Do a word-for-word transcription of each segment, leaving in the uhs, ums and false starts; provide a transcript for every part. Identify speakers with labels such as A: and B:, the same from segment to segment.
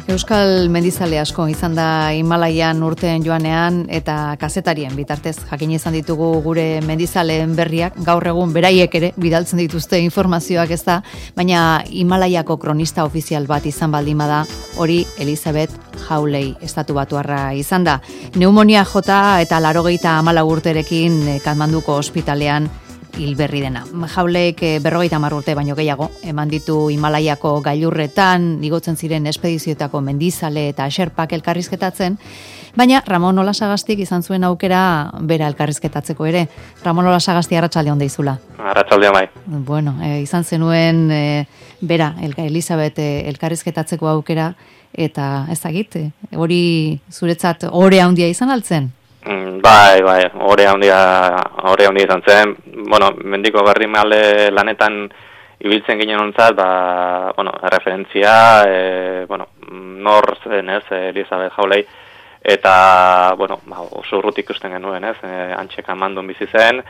A: Euskal mendizale asko izan da Himalaian urteen joanean eta kazetarien bitartez jakin izan ditugu gure mendizaleen berriak, gaur egun beraiek ere bidaltzen dituzte informazioak ez da, baina Himalaiako kronista ofizial bat izan baldin bada, hori Elizabeth Hawley estatu batuarra izan da. Pneumonia jota eta laurogeita hamalau urterekin Katmanduko ospitalean hilberri dena. Hawleyk berrogeita hamar urte baino gehiago eman ditu Himalaiako gailurretan, igotzen ziren espedizioetako mendizale eta xerpak elkarrizketatzen, baina Ramon Olasagastik izan zuen aukera bera elkarrizketatzeko ere. Ramon Olasagasti, arratsaldeon deizula.
B: Arratsaldeon bai.
A: Bueno, e, izan zenuen e, bera Elizabeth e, elkarrizketatzeko aukera eta ezagit, e, hori zuretzat ore handia izan altzen?
B: Bai, bai, ore handia, ore handia izan zen. Bueno, mendiko berri male lanetan ibiltzen ginen ontzat, ba, bueno, referentzia, e, bueno, nor zen, ez, Elizabeth Hawley, eta, bueno, ba, oso urrutik ikusten genuen, ez, e, antxe Katmandun bizi zen,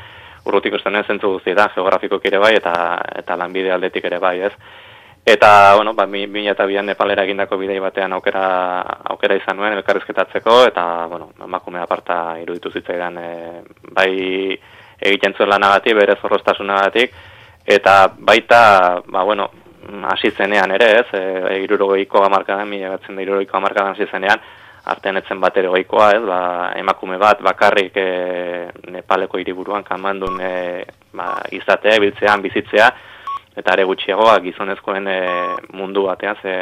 B: urrutik ikusten ez zentzu guztietan, geografikoki ere bai, eta, eta lanbide aldetik ere bai, ez. Eta, bueno, ba, mila eta bian Nepalera egindako bidei batean aukera, aukera izan nuen elkarrizketatzeko, eta, bueno, emakume aparta iruditu zitzaidan, e, bai egiten zuen lanagatik, bere zorroztasunagatik, eta baita, ba, bueno, hasi zenean ere, ez, e, irurogeiko hamarkadan, mila batzen da irurogeiko hamarkadan hasi zenean, artean etzen bat ere goikoa, ez, ba, emakume bat bakarrik e, Nepaleko hiriburuan Katmandun e, ba, izatea, biltzean, bizitzea, eta ere gutxiagoa gizonezkoen e, mundu batean, ze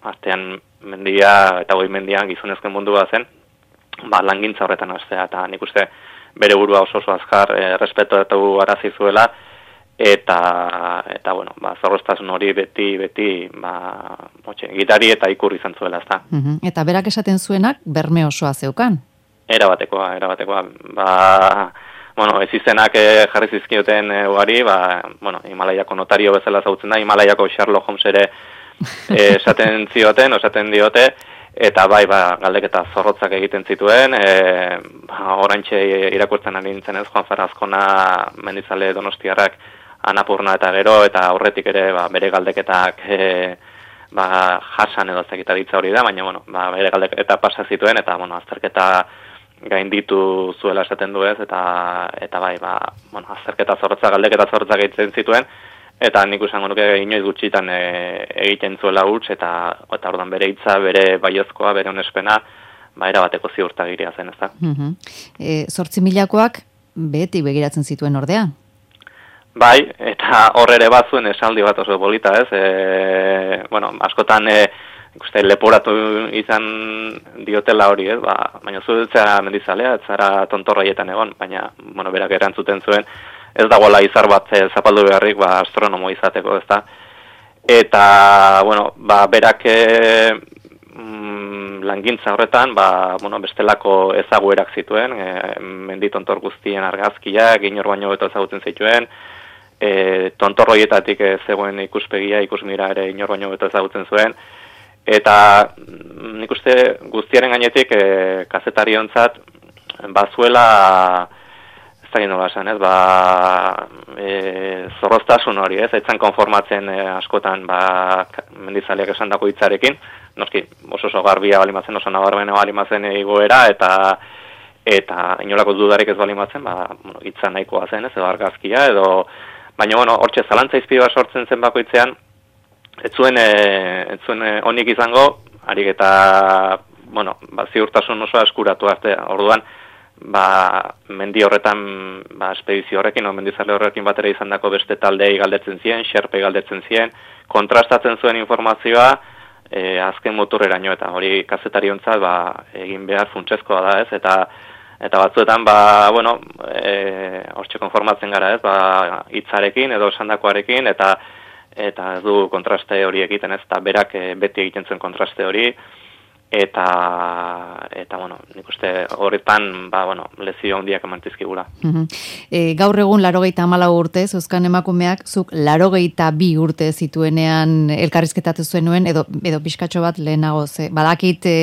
B: artean mendia eta goi mendian gizonezkoen mundu bat zen, ba, langintza horretan hastea, eta nik uste bere burua oso oso azkar e, respetatu arazi zuela, eta, eta bueno, ba, zorroztasun hori beti, beti, ba, motxe, gitari eta ikur izan zuela, ezta.
A: Uh-huh. Eta berak esaten zuenak berme osoa zeukan?
B: Erabatekoa, erabatekoa, ba... Bueno, ez izenak e, jarri zizkioten e, ugari, ba, bueno, Himalaiako notario bezala zautzen da, Himalaiako Sherlock Holmes ere e, esaten zioten, esaten diote, eta bai, ba, galdeketa zorrotzak egiten zituen, e, ba, orantxe irakurtzen ari nintzen ez, Juan Ferrazkona mendizale donostiarrak Anapurna eta gero, eta aurretik ere ba, bere galdeketak e, ba, jasan edo zekita ditza hori da, baina bueno, ba, bere galdeketa pasa zituen, eta bueno, azterketa gainditu zuela esaten du ez, eta, eta bai, ba, bueno, azterketa zorrotza, galdeketa zorrotza egiten zituen, eta nik usango nuke inoiz gutxitan e, egiten zuela huts, eta, eta ordan bere hitza, bere baiozkoa, bere onespena, ba, erabateko ziurtagiria zen, ez da.
A: Uh-huh. E, zortzi milakoak beti begiratzen zituen ordea?
B: Bai, eta hor ere bat zuen esaldi bat oso polita, ez, e, bueno, askotan, e, ikuste leporatu izan diotela hori, ez, ba, baina zuetzea mendizalea, ez zara tontorraietan egon, baina, bueno, berak erantzuten zuen, ez dagoela izar bat e, zapaldu beharrik, ba, astronomo izateko, ez da. Eta, bueno, ba, berak e, mm, langintza horretan, ba, bueno, bestelako ezaguerak zituen, e, mendi tontor guztien argazkiak, inor baino beto ezagutzen zituen, e, tontorroietatik e, zegoen ikuspegia, ikusmira ere inor baino beto ezagutzen zuen, eta nik uste guztiaren gainetik e, kazetariontzat bazuela ez da nola esan, ez, ba, e, zorroztasun hori, ez, etzan konformatzen e, askotan ba, mendizaleak esandako hitzarekin, noski oso oso garbia balimatzen, oso nabarmena balimatzen egoera, eta eta inolako dudarik ez balimatzen, ba, bueno, hitza nahikoa zen, ez, edo argazkia, edo, baina, bueno, hortxe zalantza izpide bat sortzen zen bakoitzean, Ez zuen, ez zuen onik izango, harik eta, bueno, ba, ziurtasun oso eskuratu arte, orduan, ba, mendi horretan, ba, espedizio horrekin, o mendizale horrekin batera izan dako beste taldei galdetzen ziren, xerpe galdetzen ziren, kontrastatzen zuen informazioa, e, azken motorreraino, eta hori kazetariontzat, ba, egin behar funtsezkoa da, ez, eta, eta batzuetan, ba, bueno, e, hortxe konformatzen gara, ez, ba, hitzarekin edo esandakoarekin, eta, eta ez du kontraste hori egiten, ez, eta berak e, beti egiten zuen kontraste hori, eta, eta bueno, nik uste horretan, ba, bueno, lezio handiak emantizkigula.
A: Uh-huh. E, gaur egun laurogeita hamalau urte, zeuzkan emakumeak, zuk laurogeita bi urte zituenean elkarrizketatu zuen nuen, edo, edo pixkatxo bat lehenago, ze, badakit e,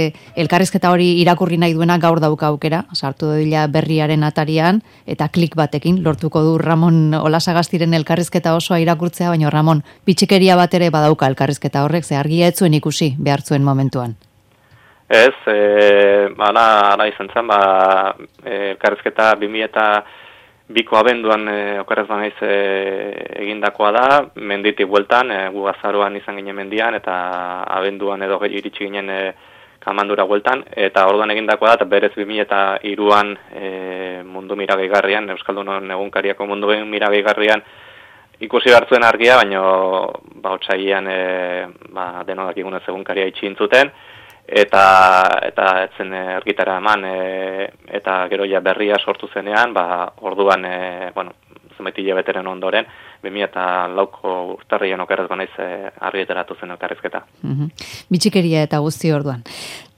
A: elkarrizketa hori irakurri nahi duena gaur dauka aukera, sartu dira berriaren atarian, eta klik batekin, lortuko du Ramon Olasagastiren elkarrizketa osoa irakurtzea, baina Ramon, pitxikeria bat ere badauka elkarrizketa horrek, ze argia ez zuen ikusi behar zuen momentuan.
B: Ez, e, ala, ala izan zen, ba, e, elkarrizketa bi mila eta biko abenduan e, okerrez banaiz e, egindakoa da, menditik bueltan, e, gu azaroan izan ginen mendian, eta abenduan edo iritsi ginen e, kamandura bueltan, eta orduan egindakoa da, eta berez bi mila eta hiruan e, mundu miragegarrian, Euskaldunon egunkariako mundu miragegarrian, ikusi hartzuen argia, baina ba, otsailean e, ba, denodak igunez egunkaria itxintzuten, eta eta etzen argitara eman e, eta gero ja berria sortu zenean, ba orduan e, bueno, zenbait hilabeteren ondoren bi mila eta lauko urtarrian okerrez banaiz e, argitaratu zen elkarrizketa.
A: Mhm. Bitxikeria eta guzti orduan.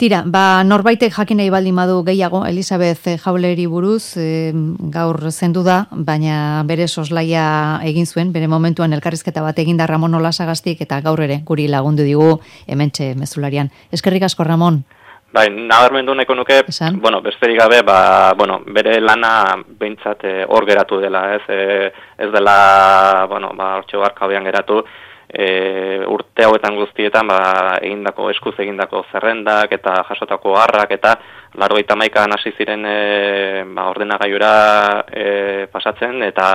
A: Tira, ba norbaitek jakin nahi baldin badu gehiago Elisabeth Jauleri buruz, e, gaur zendu da, baina bere soslaia egin zuen, bere momentuan elkarrizketa bat eginda Ramon Olasagastik eta gaur ere guri lagundu digu hementxe mezularian. Eskerrik asko Ramon.
B: Bai, nabarmendu nahiko nuke,
A: Esan?
B: bueno, besterik gabe, ba, bueno, bere lana behintzat e, hor geratu dela, ez, e, ez dela, bueno, ba, hortxe barkabean geratu, e, urte hauetan guztietan, ba, egindako, eskuz egindako zerrendak eta jasotako harrak eta laurogeita hamaikan hasi ziren e, ba, ordenagailura e, pasatzen, eta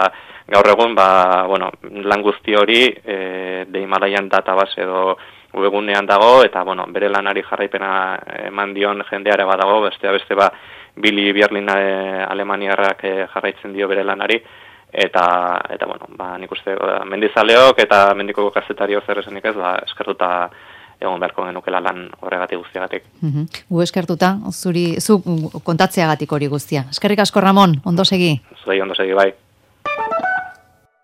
B: gaur egun, ba, bueno, lan guzti hori e, de Himalaian database edo webunean dago, eta bueno, bere lanari jarraipena eman dion jendeare badago, bestea beste ba, Billy Bierlin e, Alemaniarrak e, jarraitzen dio bere lanari, eta, eta bueno, ba, nik uste ba, mendizaleok eta mendiko kazetario zer esanik ez, ba, eskertuta egon beharko genukela lan horregatik guztiagatik.
A: Mhm. Gu eskertuta, zuri, zu kontatzeagatik hori guztia. Eskerrik asko Ramon, ondo segi.
B: Zuei ondo segi bai.